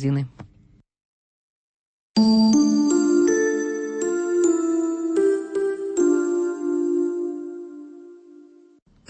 гадзіны.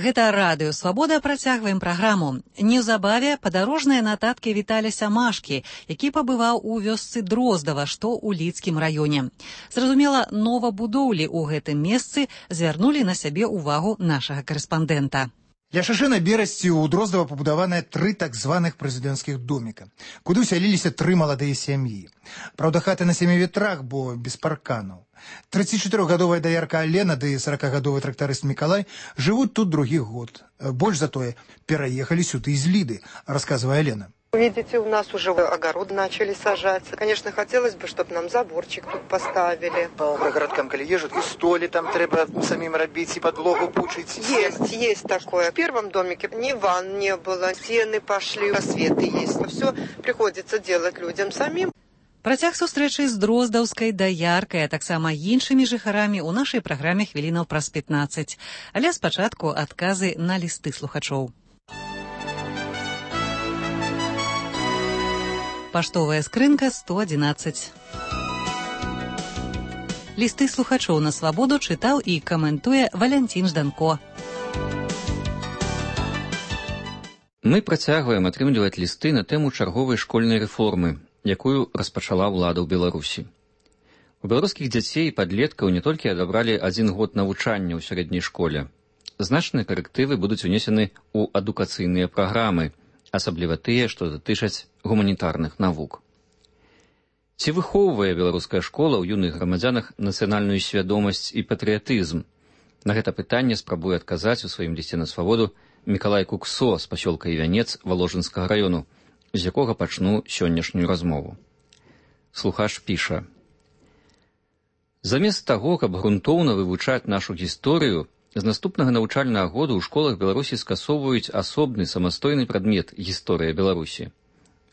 Гэта радыё «Свабода», працягваем праграму. Неўзабаве падарожныя нататкі Віталія Машкі, які пабываў у вёсцы Дроздава, што ў Лідскім раёне. Зразумела, новабудоўлі ў гэтым месцы звярнулі на сябе ўвагу нашага карэспандэнта. Ля шашы на берасці ў Дроздава пабудаваныя 3 так званых прэзідэнцкіх доміка, куды ўсяліліся 3 маладыя сям'і. Праўда, хаты на 7 ветрах, бо без парканаў. 34-гадовая даярка Алена ды 40-гадовы трактарыст Мікалай жывуць тут другі год. Больш за тое, пераехалі сюды з Ліды, расказвае Алена. Видите, у нас уже огород начали сажать. Конечно, хотелось бы, чтобы нам заборчик тут поставили. По городкам, коли езжут, и столи там треба самим робить, и подлогу пучить. Есть такое. В первом домике ни ванн не было, стены пошли, просветы есть. Все приходится делать людям самим. Працяг сустрэчы з дроздаўскай даяркай, а таксама іншымі жыхарамі ў нашай праграме хвілінаў праз 15. Але спачатку адказы на лісты слухачоў. Паштовая скрынка 111. Лісты слухачоў на свабоду чытаў і каментуе Валянцін Жданко. Мы працягваем атрымліваць лісты на тэму чарговай школьнай рэформы, якую распачала ўлада ў Беларусі. У беларускіх дзяцей і падлеткаў не толькі адабралі 1 год навучання ў сярэдняй школе. Значныя карэктывы будуць унесены ў адукацыйныя праграмы, асабліва тыя, што датычаць гуманітарных навук. Ці выхоўвае беларуская школа ў юных грамадзянах нацыянальную свядомасць і патрыятызм? На гэта пытанне спрабуе адказаць у сваім лісце на свабоду Мікалай Куксо з пасёлка Івянец Воложынскага раёну, з якога пачну сённяшнюю размову. Слухач піша: замест таго, каб грунтоўна вывучаць нашу гісторыю, з наступнага навучальнага году ў школах Беларусі скасоўваюць асобны самастойны прадмет гісторыя Беларусі.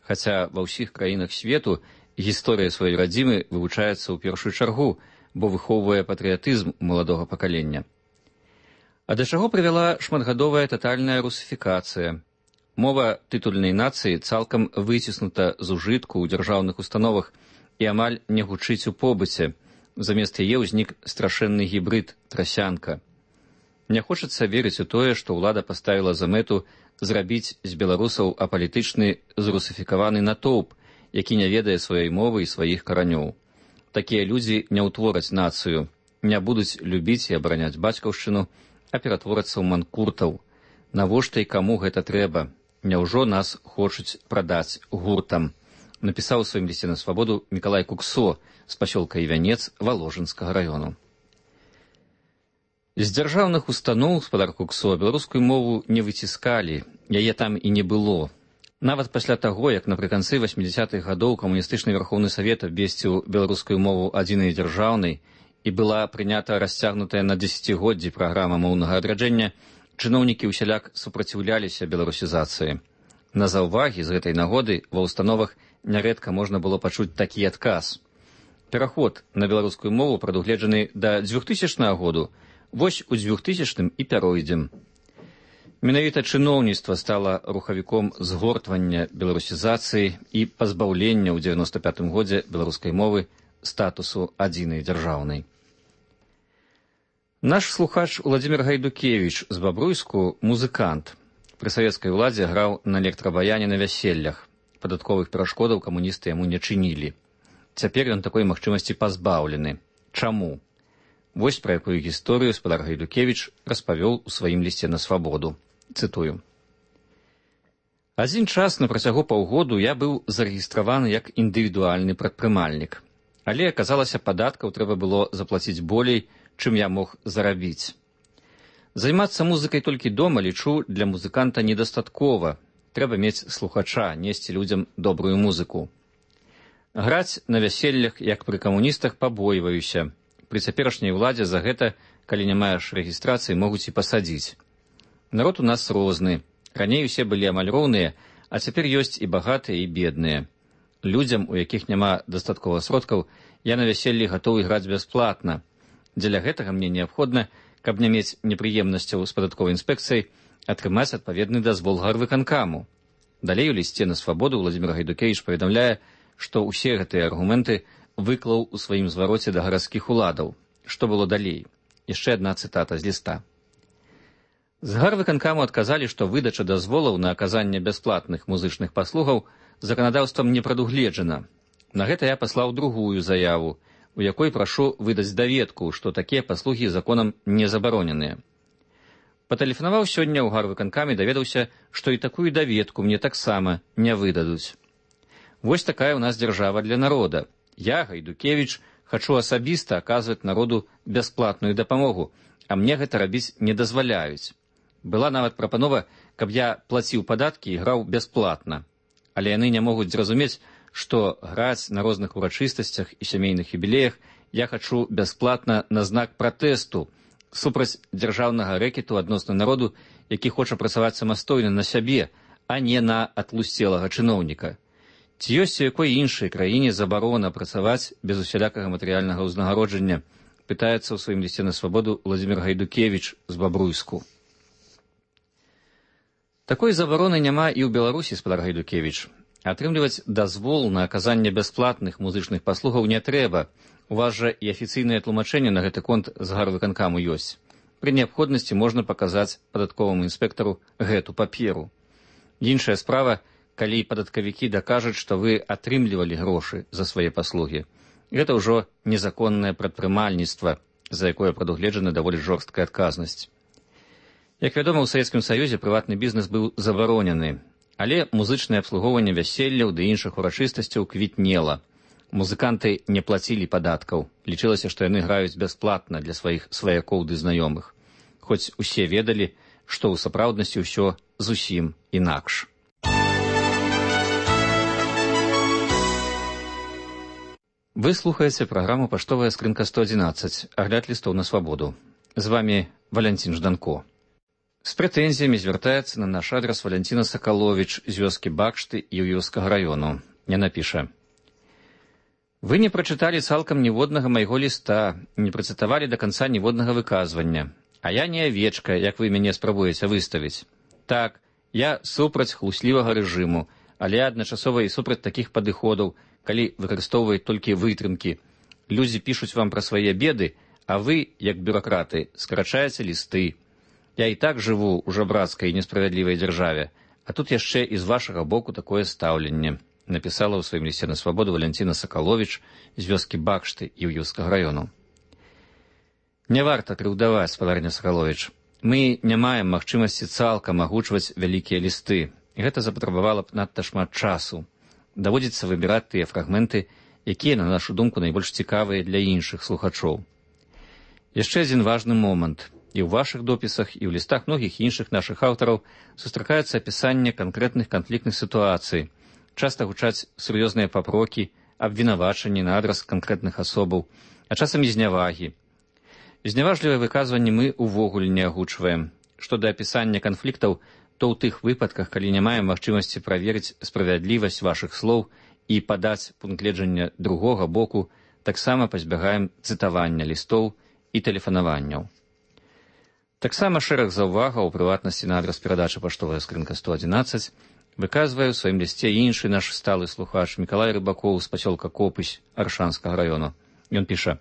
Хаця ва ўсіх краінах свету гісторыя сваёй радзімы вывучаецца ў першую чаргу, бо выхоўвае патрыятызм у маладога пакалення. А да чаго прывяла шматгадовая татальная русіфікацыя? Мова тытульнай нацыі цалкам выціснута з ужытку ў дзяржаўных установах і амаль не гучыць у побыце. Замест яе ўзнік страшэнны гібрыд трасянка. Не хочацца верыць у тое, што ўлада паставіла за мэту зрабіць з беларусаў апалітычны зрусіфікаваны натоўп, які не ведае сваёй мовы і сваіх каранёў. Такія людзі не ўтвораць нацыю, не будуць любіць і абараняць бацькаўшчыну, а ператворацца ў манкуртаў. Навошта і каму гэта трэба? Няўжо нас хочуць прадаць гуртам? Напісаў у сваім лісце на свабоду Мікалай Куксо з пасёлка Івянец Воложынскага раёну. З дзяржаўных устаноў, спадар Куксо, беларускую мову не выціскалі, яе там і не было. Нават пасля таго, як напрыканцы 80-х гадоў камуністычны Верхоўны Савет абвесціў беларускую мову адзінай дзяржаўнай і была прынята расцягнутая на дзесяцігоддзі праграма моўнага адраджэння, чыноўнікі ўсяляк супраціўляліся беларусізацыі. На заўвагі з гэтай нагоды ва ўстановах нярэдка можна было пачуць такі адказ. Пераход на беларускую мову прадугледжаны да 2000 году, вось у 2000 і пяройдзем. Менавіта чыноўніцтва стала рухавіком згортвання беларусізацыі і пазбаўлення ў 95 годзе беларускай мовы статусу адзінай дзяржаўнай. Наш слухач Владзімір Гайдукевіч з Бабруйску музыкант. Пры савецкай уладзе граў на электрабаяне на вяселлях. Падатковых перашкодаў камуністы яму не чынілі. Цяпер ён такой магчымасці пазбаўлены. Чаму? Вось пра якую гісторыю спадар Гайдукевіч распавёл у сваім лісце на свабоду. Цытую. Адзін час на працягу паўгоду я быў зарэгістраваны як індывідуальны прадпрымальнік. Але, аказалася, падаткаў трэба было заплаціць болей, чым я мог зарабіць. Займацца музыкай толькі дома, лічу, для музыканта недастаткова. Трэба мець слухача, несці людзям добрую музыку. Граць на вяселлях, як пры камуністах, пабойваюся. Пры цяперашняй уладзе за гэта, калі не маеш рэгістрацыі, могуць і пасадзіць. Народ у нас розны. Раней усе былі амаль роўныя, а цяпер ёсць і багатыя, і бедныя. Людзям, у якіх няма дастаткова сродкаў, я на вяселлі гатовы граць бясплатна. Дзеля гэтага мне неабходна, каб не мець непрыемнасцяў з падатковай інспекцыяй, атрымаць адпаведны дазвол гарвыканкаму. Далей у лісце на свабоду Владзімір Гайдукевіч паведамляе, што ўсе гэтыя аргументы выклаў у сваім звароце да гарадскіх уладаў. Што было далей? Яшчэ адна цытата з ліста. З гарвыканкаму адказалі, што выдача дазволаў на аказанне бясплатных музычных паслугаў заканадаўствам не прадугледжана. На гэта я паслаў другую заяву, у якой прашу выдаць даведку, што такія паслугі законам не забароненыя. Патэлефанаваў сёння ў гарвыканкаме, даведаўся, што і такую даведку мне таксама не выдадуць. Вось такая ў нас дзяржава для народа. Я, Гайдукевіч, хачу асабіста аказваць народу бясплатную дапамогу, а мне гэта рабіць не дазваляюць. Была нават прапанова, каб я плаціў падаткі і граў бясплатна. Але яны не могуць зразумець, што граць на розных урачыстасцях і сямейных юбілеях я хачу бясплатна на знак пратэсту супраць дзяржаўнага рэкету адносна народу, які хоча працаваць самастойна на сябе, а не на атлусцелага чыноўніка. Ці ёсць у якой іншай краіне забарона працаваць без усялякага матэрыяльнага ўзнагароджання, пытаецца ў сваім лісце на свабоду Владзімір Гайдукевіч з Бабруйску. Такой забароны няма і ў Беларусі, спадар Гайдукевіч. Атрымліваць дазвол на аказанне бясплатных музычных паслугаў не трэба. У вас жа і афіцыйнае тлумачэнне на гэты конт з гарвыканкаму ёсць. Пры неабходнасці можна паказаць падатковаму інспектару гэту паперу. Іншая справа, калі падаткавікі дакажуць, што вы атрымлівалі грошы за свае паслугі. Гэта ўжо незаконнае прадпрымальніцтва, за якое прадугледжана даволі жорсткая адказнасць. Як вядома, у Савецкім Саюзе прыватны бізнес быў забаронены, але музычнае абслугоўванне вяселляў ды іншых урачыстасцяў квітнела. Музыканты не плацілі падаткаў. Лічылася, што яны граюць бясплатна для сваіх сваякоў ды знаёмых. Хоць усе ведалі, што ў сапраўднасці ўсё зусім інакш. Вы слухаеце праграму «Паштовая скрынка 111», агляд лістоў на свабоду. З вамі Валянцін Жданко. З прэтэнзіямі звяртаецца на наш адрас Валянціна Сакаловіч з вёскі Бакшты Іўёўскага раёну. Яна піша: «Вы не прачыталі цалкам ніводнага майго ліста, не працытавалі да канца ніводнага выказвання. А я не авечка, як вы мяне спрабуеце выставіць. Так, я супраць хлуслівага рэжыму, але адначасова і супраць такіх падыходаў, калі выкарыстоўваюць толькі вытрымкі. Людзі пішуць вам пра свае беды, а вы, як бюракраты, скарачаеце лісты. Я і так жыву ў жабрацкай і несправядлівай дзяржаве, а тут яшчэ і з вашага боку такое стаўленне», напісала ў сваім лісце на свабоду Валянціна Сакаловіч з вёскі Бакшты Іўёўскага раёну. Не варта крыўдаваць, спадарня Сакаловіч. Мы не маем магчымасці цалкам агучваць вялікія лісты. Гэта запатрабавала б надта шмат часу. Даводзіцца выбіраць тыя фрагменты, якія, на нашу думку, найбольш цікавыя для іншых слухачоў. Яшчэ адзін важны момант. І ў вашых допісах, і ў лістах многіх іншых нашых аўтараў сустракаюцца апісанне канкрэтных канфліктных сітуацый. Часта гучаць сур'ёзныя папрокі, абвінавачанні на адрас канкрэтных асобаў, а часам і знявагі. Зняважлівыя выказванні мы ўвогуле не агучваем. Што да апісання канфліктаў, то ў тых выпадках, калі не маем магчымасці праверыць справядлівасць вашых слоў і падаць пункт гледжання другога боку, таксама пазбягаем цытавання лістоў і тэлефанаванняў. Таксама шэраг заўвагаў, у прыватнасці на адрас перадачы «Паштовая скрынка 111», выказвае ў сваім лісце іншы наш сталы слухач Мікалай Рыбакоў з пасёлка Копысь Аршанскага раёну. Ён піша: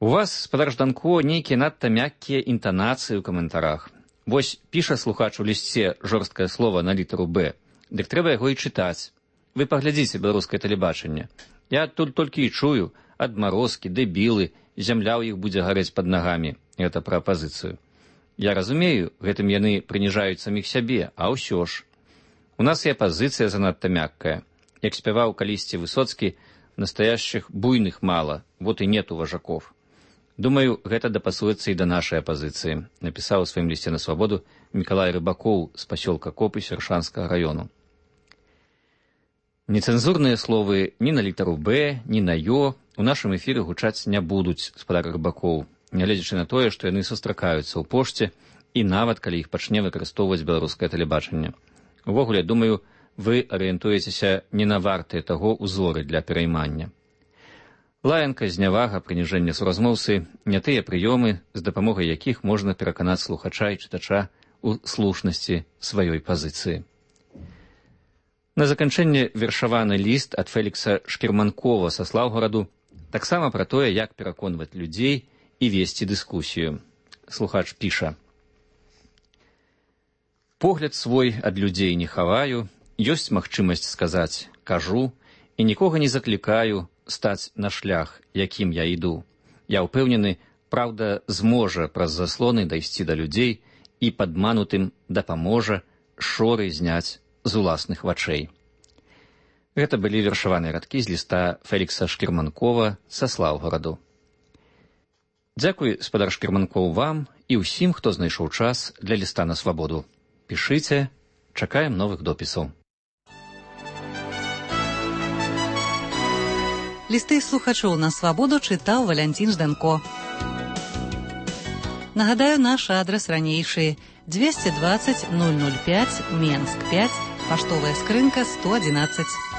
«У вас, спадар Жданко, нейкія надта мяккія інтанацыі ў каментарах. Вось піша слухач у лісце жорсткае слова на літару «Б», дык трэба яго і чытаць. Вы паглядзіце беларускае тэлебачанне. Я тут толькі і чую адмарозкі, дэбілы, зямля ў іх будзе гарэць пад нагамі. Гэта пра апазіцыю. Я разумею, гэтым яны прыніжаюць саміх сябе, а ўсё ж. У нас і апазіцыя занадта мяккая. Як спяваў калісьці Высоцкі, настоящих буйных мало, вот і нету важаков. Думаю, гэта дапасуецца і да нашай апазіцыі», напісаў у сваім лісце на свабоду Мікалай Рыбакоў з пасёлка Копысь Аршанскага раёну. Нецэнзурныя словы ні на літару «Б», ні на «Ё» у нашым эфіры гучаць не будуць, спадар Рыбакоў, нягледзячы на тое, што яны сустракаюцца ў пошце і нават калі іх пачне выкарыстоўваць беларускае тэлебачанне. Увогуле, думаю, вы арыентуецеся не на вартыя таго ўзоры для пераймання. Лаянка, знявага, прыніжэнне суразмоўцы не тыя прыёмы, з дапамогай якіх можна пераканаць слухача і чытача ў слушнасці сваёй пазіцыі. На заканчэнне вершаваны ліст ад Фелікса Шкірманкова са Слаўгораду, таксама пра тое, як пераконваць людзей і весці дыскусію. Слухач піша: «Погляд свой ад людзей не хаваю, ёсць магчымасць сказаць «кажу» і нікога не заклікаю стаць на шлях, якім я іду. Я ўпэўнены, праўда зможа праз заслоны дайсці да людзей і падманутым дапаможа шоры зняць з уласных вачэй». Гэта былі вершаваныя радкі з ліста Фелікса Шкірманкова са Слаўгораду. Дзякуй, спадар Шкірманкоў, вам і ўсім, хто знайшоў час для ліста на свабоду. Пішыце, чакаем новых допісаў. Лісты слухачоў на свабоду чытаў Валянцін Жданко. Нагадаю, наш адрас ранейшы: 220 005, Менск 5, паштовая скрынка 111.